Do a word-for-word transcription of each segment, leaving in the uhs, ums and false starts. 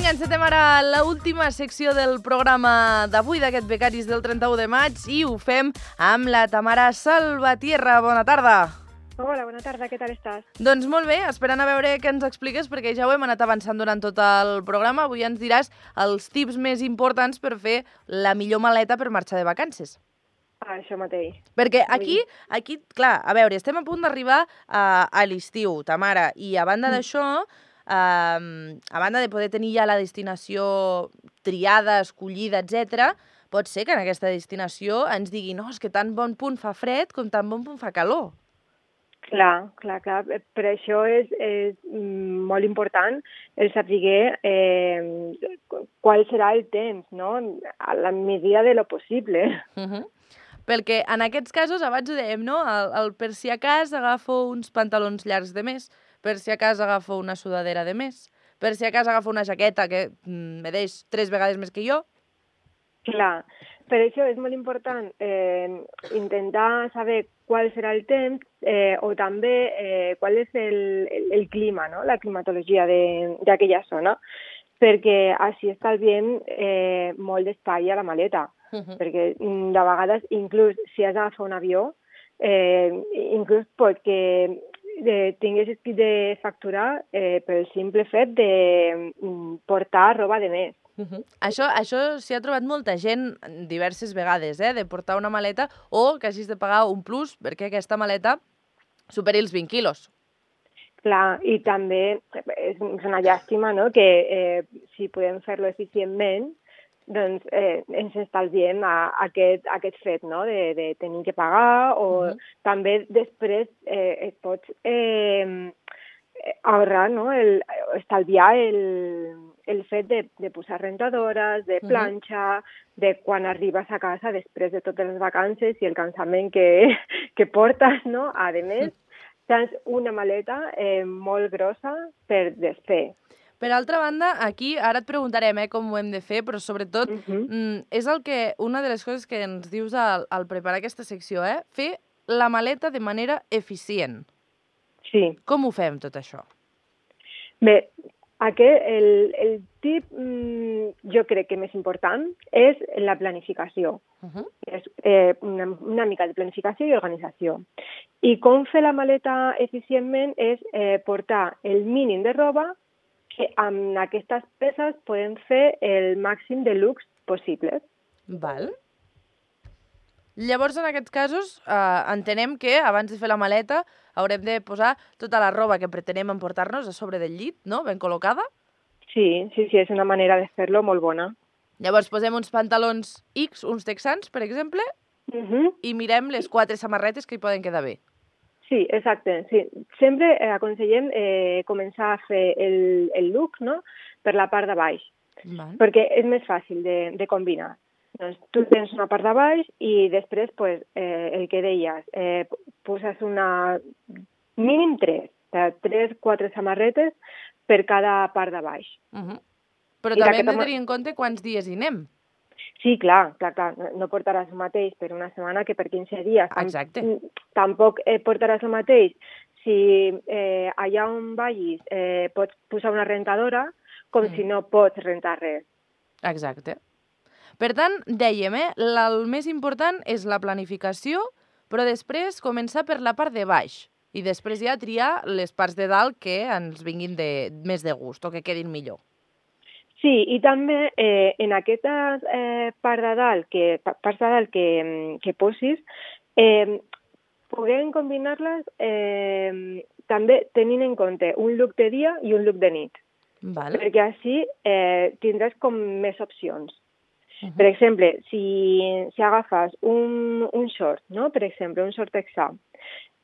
Vinga, encetem ara l'última secció del programa d'avui, d'aquest Becaris del trenta-u de maig, i ho fem amb la Tamara Salvatierra. Bona tarda. Hola, bona tarda, què tal estàs? Doncs molt bé, esperant a veure què ens expliques, perquè ja ho hem anat avançant durant tot el programa. Avui ens diràs els tips més importants per fer la millor maleta per marxar de vacances. Ah, això mateix. Perquè aquí, aquí, clar, a veure, estem a punt d'arribar a, a l'estiu, Tamara, i a banda d'això, Uh, a banda de poder tenir ja la destinació triada, escollida, etcètera, pot ser que en aquesta destinació ens digui no, és que tan bon punt fa fred com tan bon punt fa calor. Clar, clar, clar. Per això és, és molt important el saber eh, qual serà el temps, no? A la medida de lo possible. Uh-huh. Perquè en aquests casos, abans ho dèiem, no? El, el per si a cas agafo uns pantalons llargs de més, per si a cas agafo una sudadera de més, per si a cas agafo una jaqueta que mm, me deix tres vegades més que jo. Clar, per això és molt important eh, intentar saber qual serà el temps eh, o també eh, qual és el, el, el clima, no? La climatologia d'aquella zona, perquè així estalviem eh, molt d'espai a la maleta. Uh-huh. Perquè de vegades, inclús si has d'agafar un avió, eh, inclús pot que de, tinguessis de facturar eh, pel simple fet de mm, portar roba de més. Uh-huh. Això això s'hi ha trobat molta gent diverses vegades, eh, de portar una maleta o que hagis de pagar un plus perquè aquesta maleta superi els vint quilos. Clar, i també és una llàstima, no?, que eh, si podem fer-lo eficientment, doncs eh, ens estalviem a, a aquest, a aquest fet, no?, de, de tenir que pagar o uh-huh. també després eh, es pot eh, ahorrar, no?, el, estalviar el, el fet de, de posar rentadores, de planxa, uh-huh. de quan arribes a casa després de totes les vacances i el cansament que, que portes, no?, a més, tens una maleta eh, molt grossa per desfer. Per altra banda, aquí ara et preguntarem eh, com ho hem de fer, però sobretot uh-huh. mm, és el que una de les coses que ens dius al, al preparar aquesta secció, eh? Fer la maleta de manera eficient. Sí. Com ho fem, tot això? Bé, aquest, el, el tip mm, jo crec que més important és la planificació. Uh-huh. És eh, una, una mica de planificació i organització. I com fer la maleta eficientment és eh, portar el mínim de roba que amb aquestes peces podem fer el màxim de looks possibles. Val. Llavors, en aquests casos, eh, entenem que abans de fer la maleta haurem de posar tota la roba que pretenem emportar-nos a sobre del llit, no?, ben col·locada. Sí, sí, sí, és una manera de fer-lo molt bona. Llavors posem uns pantalons X, uns texans, per exemple, uh-huh. i mirem les quatre samarretes que hi poden quedar bé. Sí, exacte. Sí. Sempre eh, aconsellem eh, començar a fer el, el look, no?, per la part de baix, Val. Perquè és més fàcil de, de combinar. Doncs tu tens una part de baix i després, pues, eh, el que deies, eh, poses una mínim tres, tres, quatre samarretes per cada part de baix. Uh-huh. Però I també hem de tenir en compte quants dies hi anem. Sí, clar, clar, clar. No portaràs el mateix per una setmana que per quinze dies. Exacte. Tampoc eh, portaràs el mateix si eh, allà on vagis eh, pots posar una rentadora com mm. si no pots rentar res. Exacte. Per tant, dèiem, eh, el més important és la planificació, però després començar per la part de baix i després ja triar les parts de dalt que ens vinguin de, més de gust o que quedin millor. Sí, i també eh, en aquestes eh, parts de dalt que, parts de dalt que, que posis, eh, podem combinar-les eh, també tenint en compte un look de dia i un look de nit. Val. Perquè així eh, tindràs com més opcions. Uh-huh. Per exemple, si, si agafes un, un short, no? Per exemple, un short texà,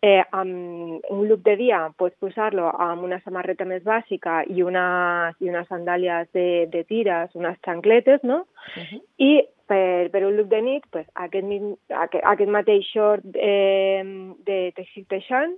Eh, amb un look de dia pots posar-lo amb una samarreta més bàsica i, una, i unes sandàlies de, de tires, unes xancletes, no? Uh-huh. I per, per un look de nit, pues, aquest, aquest, aquest mateix short eh, de teixit teixant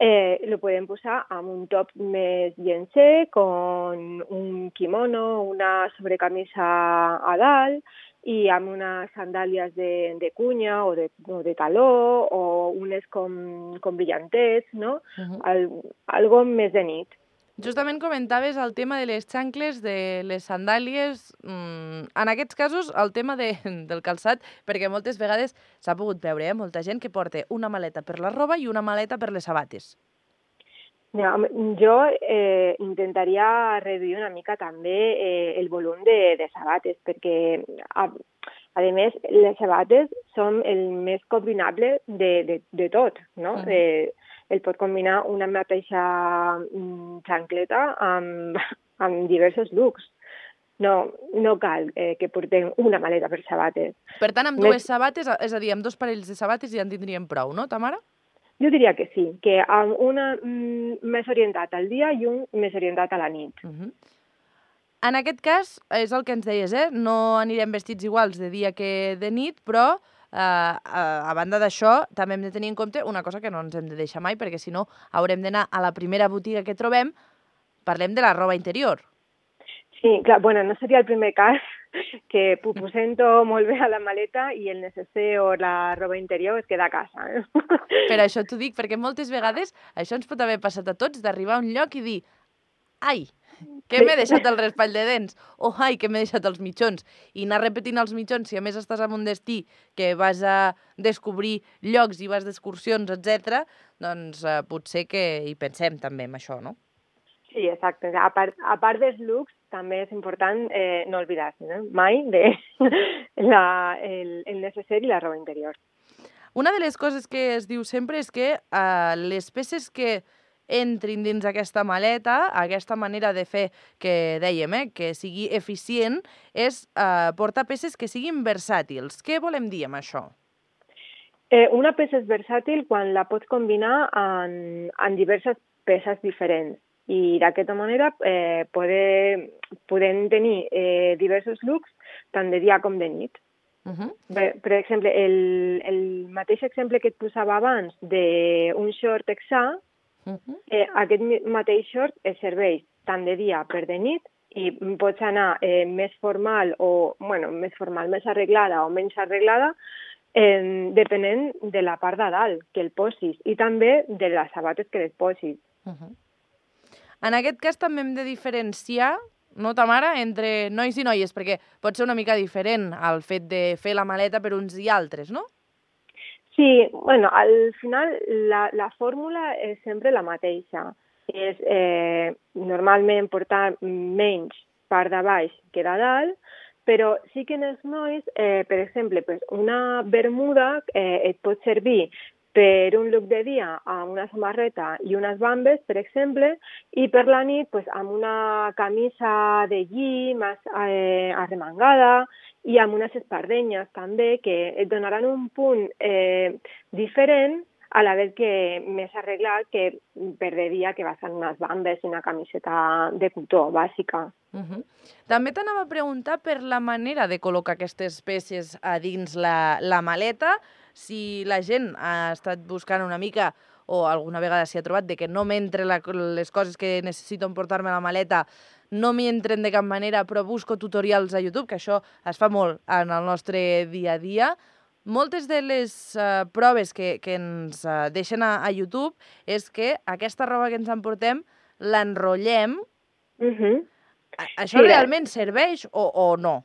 eh, lo podem posar amb un top més llencer, con un kimono, una sobrecamisa a dalt, i amb unes sandàlies de, de cunya o de, o de taló o unes com, com brillantets, no? Uh-huh. Al, algo més de nit. Justament comentaves el tema de les xancles, de les sandàlies. Mm, en aquests casos, el tema de, del calçat, perquè moltes vegades s'ha pogut veure, eh? Molta gent que porta una maleta per la roba i una maleta per les sabates. Ja, jo eh, intentaria reduir una mica també eh, el volum de, de sabates, perquè, a, a més, les sabates són el més combinable de, de, de tot, no? Mm. Eh, el pot combinar una mateixa xancleta amb, amb diversos looks. No, no cal eh, que portem una maleta per sabates. Per tant, amb dues sabates, és a dir, amb dos parells de sabates ja en tindríem prou, no, Tamara? Jo diria que sí, que amb una mm, més orientat al dia i un més orientat a la nit. Uh -huh. En aquest cas, és el que ens deies, eh? No anirem vestits iguals de dia que de nit, però eh, a, a banda d'això també hem de tenir en compte una cosa que no ens hem de deixar mai, perquè si no haurem d'anar a la primera botiga que trobem, parlem de la roba interior. Sí, clar, bueno, no seria el primer cas que ho posem tot molt bé a la maleta i el necessari o la roba interior es queda a casa. Eh? Per això t'ho dic, perquè moltes vegades això ens pot haver passat a tots, d'arribar a un lloc i dir ai, que m'he deixat el raspall de dents, o ai, que m'he deixat els mitjons, i anar repetint els mitjons, si a més estàs en un destí que vas a descobrir llocs i vas d'excursions, etcètera, doncs eh, potser que hi pensem també en això, no? Sí, exacte. A part, a part dels looks, també és important eh, no oblidar-se no? mai de la, el, el necessari i la roba interior. Una de les coses que es diu sempre és que eh, les peces que entrin dins aquesta maleta, aquesta manera de fer que dèiem, eh, que sigui eficient, és eh, portar peces que siguin versàtils. Què volem dir amb això? Eh, una peça és versàtil quan la pots combinar en, en diverses peces diferents. I d'aquesta manera eh, poder, podem tenir eh, diversos looks tant de dia com de nit. Uh -huh. per, per exemple, el, el mateix exemple que et posava abans d'un short texà, uh -huh. eh, aquest mateix short es serveix tant de dia per de nit i pots anar eh, més formal o, bueno, més formal, més arreglada o menys arreglada, eh, depenent de la part de dalt que el posis i també de les sabates que les posis. Uh -huh. En aquest cas també hem de diferenciar, no, Tamara, entre nois i noies, perquè pot ser una mica diferent el fet de fer la maleta per uns i altres, no? Sí, bueno, al final la, la fórmula és sempre la mateixa. És eh, normalment portar menys part de baix que de dalt, però sí que en els nois, eh, per exemple, pues una bermuda eh, et pot servir per un look de dia amb una samarreta i unes bambes, per exemple, i per la nit pues, amb una camisa de lli més eh, arremangada i amb unes espardenyes també que et donaran un punt eh, diferent a la vez que més arreglat que per de dia que vas amb unes bambes i una camiseta de cotó bàsica. Uh -huh. També t'anava a preguntar per la manera de col·locar aquestes peces a dins la, la maleta, si la gent ha estat buscant una mica o alguna vegada s'hi ha trobat de que no m'entre les coses que necessito emportar-me a la maleta, no m'hi entren de cap manera, però busco tutorials a YouTube, que això es fa molt en el nostre dia a dia. Moltes de les uh, proves que, que ens uh, deixen a, a YouTube és que aquesta roba que ens emportem l'enrotllem. Uh -huh. Això sí, realment serveix o, o no?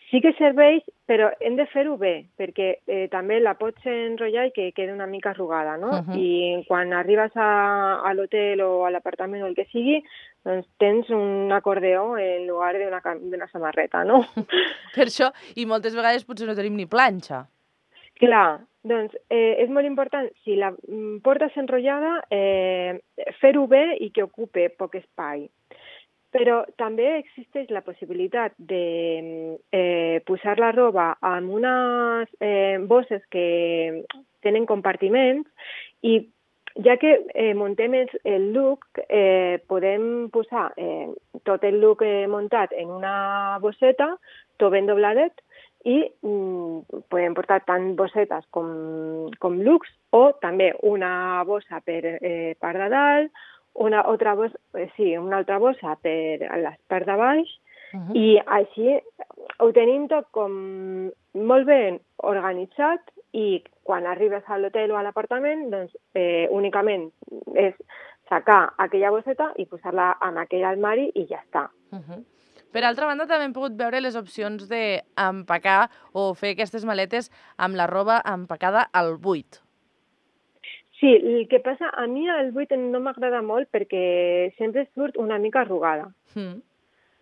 Sí que serveix, però hem de fer-ho bé, perquè eh, també la pots enrotllar i que quedi una mica arrugada, no? Uh -huh. I quan arribes a, a l'hotel o a l'apartament o el que sigui, doncs tens un acordeó en lloc d'una samarreta, no? Per això, i moltes vegades potser no tenim ni planxa. Clar, doncs eh, és molt important, si la portes enrotllada, eh, fer-ho bé i que ocupe poc espai. Però també existeix la possibilitat de eh, posar la roba en unes eh, bosses que tenen compartiments i ja que eh, muntem el, el look, eh, podem posar eh, tot el look eh, muntat en una bosseta, tot ben dobladet, i mm, podem portar tant bossetes com, com looks o també una bossa per eh, part de dalt, una altra bossa, eh, sí, una altra bossa per a les parts de baix, uh -huh. i així ho tenim tot com molt ben organitzat i quan arribes a l'hotel o a l'apartament, doncs eh, únicament és sacar aquella bosseta i posar-la en aquell armari i ja està. Uh -huh. Per altra banda, també hem pogut veure les opcions d'empacar o fer aquestes maletes amb la roba empacada al buit. Sí, el que passa, a mi el buit no m'agrada molt perquè sempre surt una mica arrugada. Mm.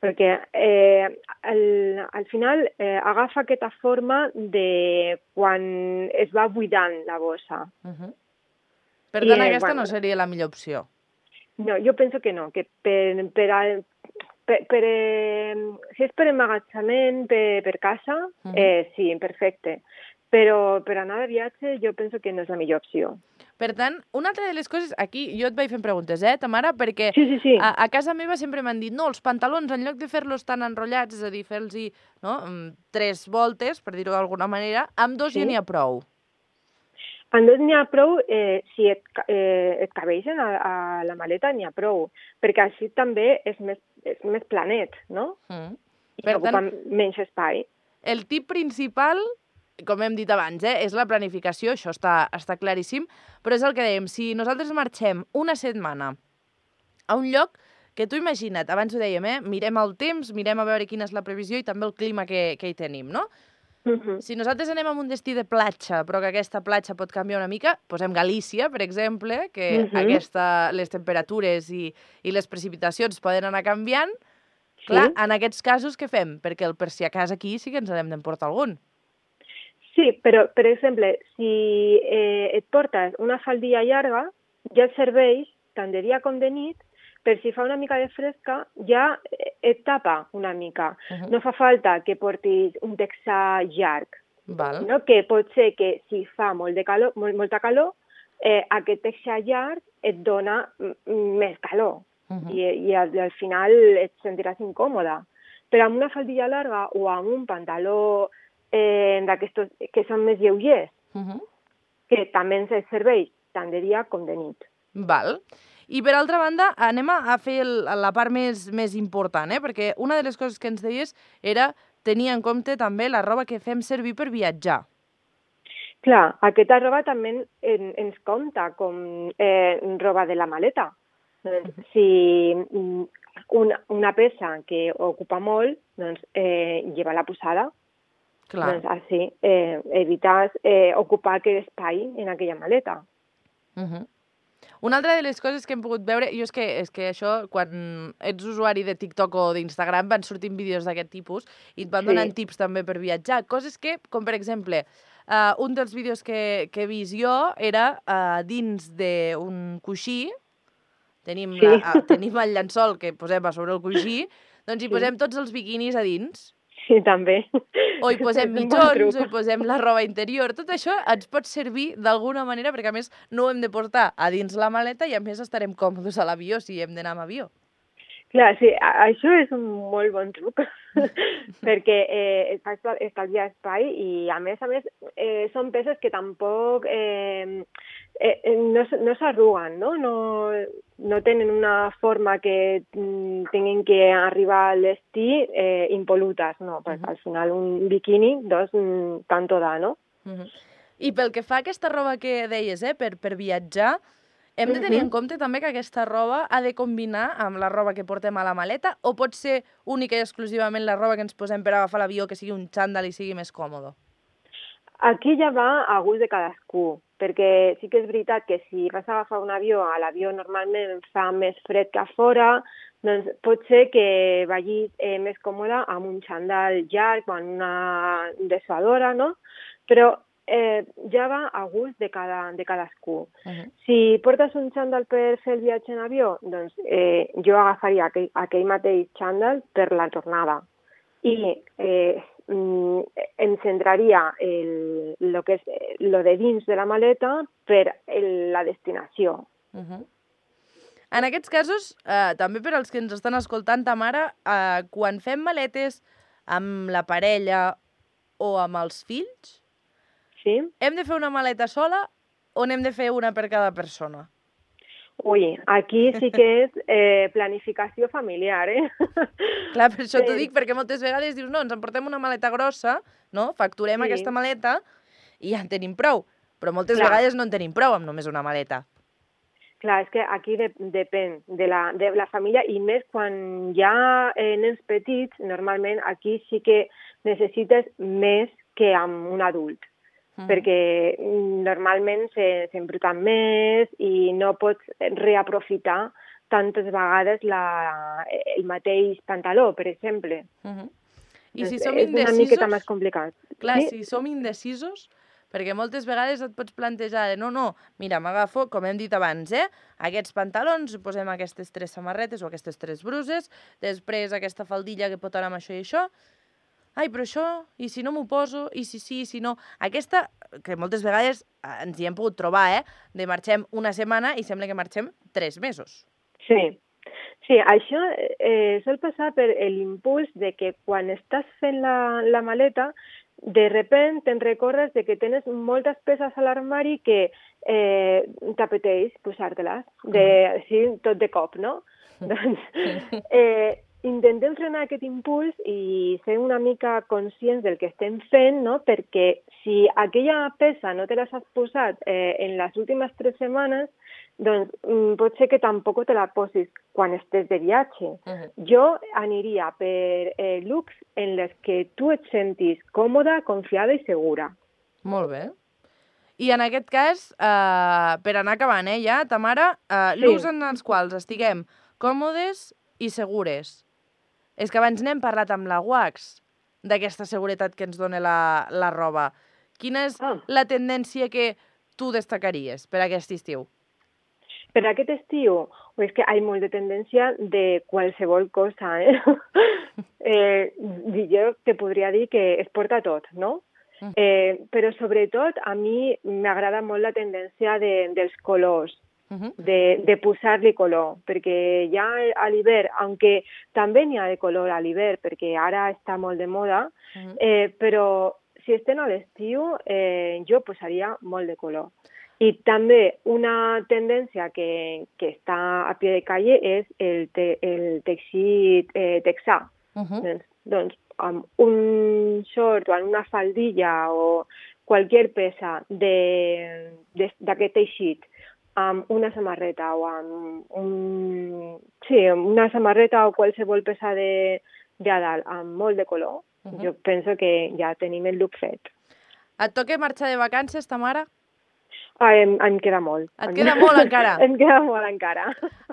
Perquè eh, el, al final eh, agafa aquesta forma de quan es va buidant la bossa. Uh -huh. Per tant, I, aquesta bueno, no seria la millor opció. No, jo penso que no, que per, per, al, per, per eh, si és per emmagatzament, per, per casa, uh -huh. eh, sí, perfecte. Però per anar de viatge jo penso que no és la millor opció. Per tant, una altra de les coses, aquí jo et vaig fent preguntes, eh, Tamara, perquè sí, sí, sí. A, a casa meva sempre m'han dit, no, els pantalons, en lloc de fer-los tan enrotllats, és a dir, fer-los no, tres voltes, per dir-ho d'alguna manera, amb dos sí. ja n'hi ha prou. Amb dos n'hi ha prou, eh, si et, eh, et cabeixen a, a la maleta n'hi ha prou, perquè així també és més, és més planet, no? Mm. I per ocupa tant, menys espai. El tip principal, com hem dit abans, eh, és la planificació, això està, està claríssim, però és el que dèiem, si nosaltres marxem una setmana a un lloc que tu imagina't, abans ho dèiem, eh, mirem el temps, mirem a veure quina és la previsió i també el clima que, que hi tenim, no? Uh-huh. Si nosaltres anem a un destí de platja, però que aquesta platja pot canviar una mica, posem Galícia, per exemple, que uh-huh. aquesta, les temperatures i, i les precipitacions poden anar canviant. Sí. Clar, en aquests casos què fem? Perquè el, per si a casa aquí sí que ens n'hem d'emportar algun. Sí, però, per exemple, si eh, et portes una faldilla llarga, ja et serveix, tant de dia com de nit, per si fa una mica de fresca, ja et tapa una mica. Uh-huh. No fa falta que portis un texà llarg. Val. No? Que pot ser que si fa molt de calor, molt, molta calor, eh, aquest texà llarg et dona més calor. Uh-huh. I, i al, al final et sentiràs incòmoda. Però amb una faldilla llarga o amb un pantaló eh, d'aquestos que són més lleugers, uh-huh. que també ens serveix tant de dia com de nit. Val. I per altra banda, anem a fer el, la part més, més important, eh? Perquè una de les coses que ens deies era tenir en compte també la roba que fem servir per viatjar. Clar, aquesta roba també en, ens compta com eh, roba de la maleta. Doncs, si una, una peça que ocupa molt, doncs eh, lleva-la posada. Clar. Doncs així eh, evites eh, ocupar aquest espai en aquella maleta. Uh-huh. Una altra de les coses que hem pogut veure, jo és que, és que això, quan ets usuari de TikTok o d'Instagram, van sortint vídeos d'aquest tipus i et van donant sí. tips també per viatjar. Coses que, com per exemple, uh, un dels vídeos que, que he vist jo era uh, dins d'un coixí, tenim, sí. la, uh, tenim el llençol que posem a sobre el coixí, doncs hi sí. posem tots els biquinis a dins. Sí, també. O hi posem mitjons, o hi posem la roba interior. Tot això ens pot servir d'alguna manera, perquè a més no ho hem de portar a dins la maleta i a més estarem còmodes a l'avió si hem d'anar amb avió. Clar, sí, això és un molt bon truc, perquè eh, es fa estalviar espai i a més a més eh, són peces que tampoc eh, eh, no, no s'arruguen, no? No, no tenen una forma que mm, tinguin que arribar al destí eh, impolutes, no? Perquè uh-huh. al final un biquini, doncs, mm, tanto da, no? Uh-huh. I pel que fa a aquesta roba que deies, eh, per, per viatjar, hem de tenir en compte també que aquesta roba ha de combinar amb la roba que portem a la maleta o pot ser única i exclusivament la roba que ens posem per agafar l'avió, que sigui un xandall i sigui més còmode? Aquí ja va a gust de cadascú, perquè sí que és veritat que si vas a agafar un avió, a l'avió normalment fa més fred que a fora, doncs pot ser que vagis eh, més còmode amb un xandall llarg o en una dessuadora, no? Però Eh, ja va a gust de, cada, de cadascú. Uh-huh. Si portes un xandall per fer el viatge en avió, doncs eh, jo agafaria aquell, aquell mateix xandall per la tornada. I eh, em centraria el, lo que és lo de dins de la maleta per el, la destinació. Uh-huh. En aquests casos, eh, també per als que ens estan escoltant, Tamara, eh, quan fem maletes amb la parella o amb els fills, sí. Hem de fer una maleta sola o n'hem de fer una per cada persona? Ui, aquí sí que és eh, planificació familiar, eh? Clar, per això t'ho dic, perquè moltes vegades dius, no, ens emportem una maleta grossa, no? Facturem sí. aquesta maleta i ja en tenim prou. Però moltes Clar. vegades no en tenim prou amb només una maleta. Clar, és que aquí de, depèn de la, de la família i més quan hi ha eh, nens petits, normalment aquí sí que necessites més que amb un adult, mm. perquè normalment s'embruten més i no pots reaprofitar tantes vegades la, el mateix pantaló, per exemple. Mm-hmm. I si som és indecisos... una miqueta més complicat. Clar, sí? si som indecisos... Perquè moltes vegades et pots plantejar de no, no, mira, m'agafo, com hem dit abans, eh? Aquests pantalons, posem aquestes tres samarretes o aquestes tres bruses, després aquesta faldilla que pot anar amb això i això. Ai, però això, i si no m'ho poso, i si sí, i si no... Aquesta, que moltes vegades ens hi hem pogut trobar, eh? De marxem una setmana i sembla que marxem tres mesos. Sí. Sí, això eh, sol passar per l'impuls de que quan estàs fent la, la maleta, de repent te'n recordes de que tens moltes peces a l'armari que eh, t'apeteix posar-te-les, de, així, tot de cop, no? Doncs eh, intentem frenar aquest impuls i ser una mica conscients del que estem fent, no? Perquè si aquella peça no te l'has posat eh, en les últimes tres setmanes, doncs mm, pot ser que tampoc te la posis quan estés de viatge. Uh-huh. Jo aniria per eh, looks en les que tu et sentis còmoda, confiada i segura. Molt bé. I en aquest cas, eh, per anar acabant, eh, ja, Tamara, eh, sí. looks en els quals estiguem còmodes i segures. És que abans n'hem parlat amb la Wax, d'aquesta seguretat que ens dona la, la roba. Quina és ah. la tendència que tu destacaries per aquest estiu? Per aquest estiu, és que hi ha molt de tendència de qualsevol cosa, eh? eh jo te podria dir que es porta tot, no? Mm. Eh, però sobretot a mi m'agrada molt la tendència de, dels colors, mm-hmm. de, de posar-li color, perquè ja a l'hivern, aunque també n'hi ha de color a l'hivern, perquè ara està molt de moda, mm-hmm. eh, però si estem a l'estiu, eh, jo posaria molt de color. I també una tendència que, que està a pie de calle és el, te, el teixit eh, texà. Uh-huh. Doncs, doncs amb un short o amb una faldilla o qualsevol peça d'aquest teixit, amb una samarreta o amb un, sí, una samarreta o qualsevol peça de, de a dalt amb molt de color, uh-huh. jo penso que ja tenim el look fet. Et toca marxar de vacances, Tamara? Ah, em, em queda molt. Et queda molt encara? Em queda molt encara.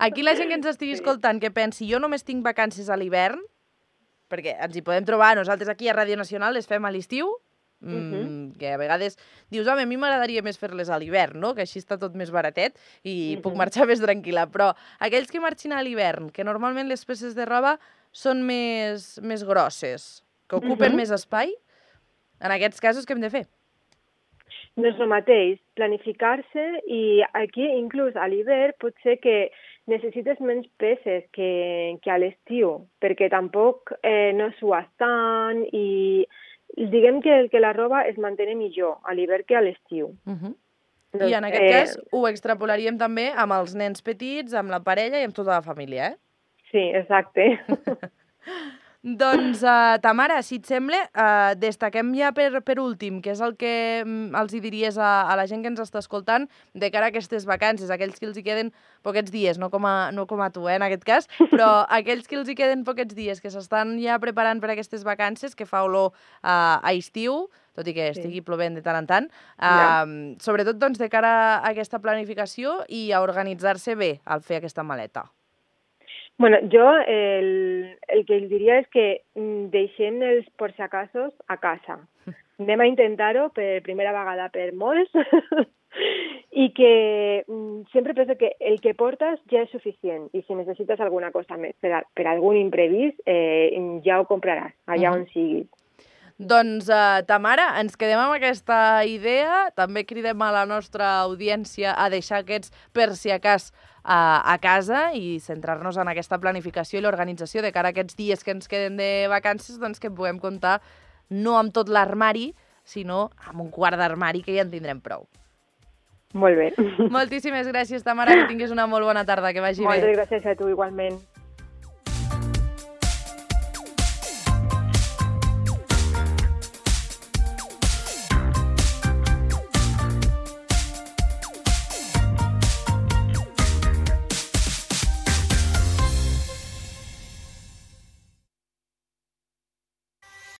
Aquí la gent que ens estigui sí. escoltant que pensi jo només tinc vacances a l'hivern, perquè ens hi podem trobar, nosaltres aquí a Ràdio Nacional les fem a l'estiu, mm, uh-huh. que a vegades dius, home, a mi m'agradaria més fer-les a l'hivern, no? Que així està tot més baratet i uh-huh. puc marxar més tranquil·la. Però aquells que marxin a l'hivern, que normalment les peces de roba són més, més grosses, que ocupen uh-huh. més espai, en aquests casos què hem de fer? Doncs el mateix, planificar-se i aquí inclús a l'hivern pot ser que necessites menys peces que, que a l'estiu, perquè tampoc eh, no sues tant i diguem que, que la roba es mantén millor a l'hivern que a l'estiu. Uh-huh. doncs, I en aquest eh... cas ho extrapolaríem també amb els nens petits, amb la parella i amb tota la família, eh? Sí, exacte. Doncs, uh, Tamara, si et sembla, uh, destaquem ja per, per últim, que és el que um, els hi diries a, a la gent que ens està escoltant de cara a aquestes vacances, aquells que els hi queden poquets dies, no com a, no com a tu, eh, en aquest cas, però aquells que els hi queden poquets dies, que s'estan ja preparant per aquestes vacances, que fa olor uh, a estiu, tot i que estigui sí. plovent de tant en tant, uh, ja. sobretot doncs, de cara a aquesta planificació i a organitzar-se bé al fer aquesta maleta. Bueno, jo el, el que els diria és que deixem els por si acasos a casa. Anem a intentar-ho per primera vegada per molts i que sempre penso que el que portes ja és suficient i si necessites alguna cosa més per, a, per algun imprevist eh, ja ho compraràs allà uh-huh. on sigui. Doncs, uh, Tamara, ens quedem amb aquesta idea. També cridem a la nostra audiència a deixar aquests per si acas uh, a casa i centrar-nos en aquesta planificació i l'organització de cara a aquests dies que ens queden de vacances, doncs que puguem comptar no amb tot l'armari, sinó amb un quart d'armari que ja en tindrem prou. Molt bé. Moltíssimes gràcies, Tamara, que tinguis una molt bona tarda, que vagi Moltes bé. Moltes gràcies a tu, igualment.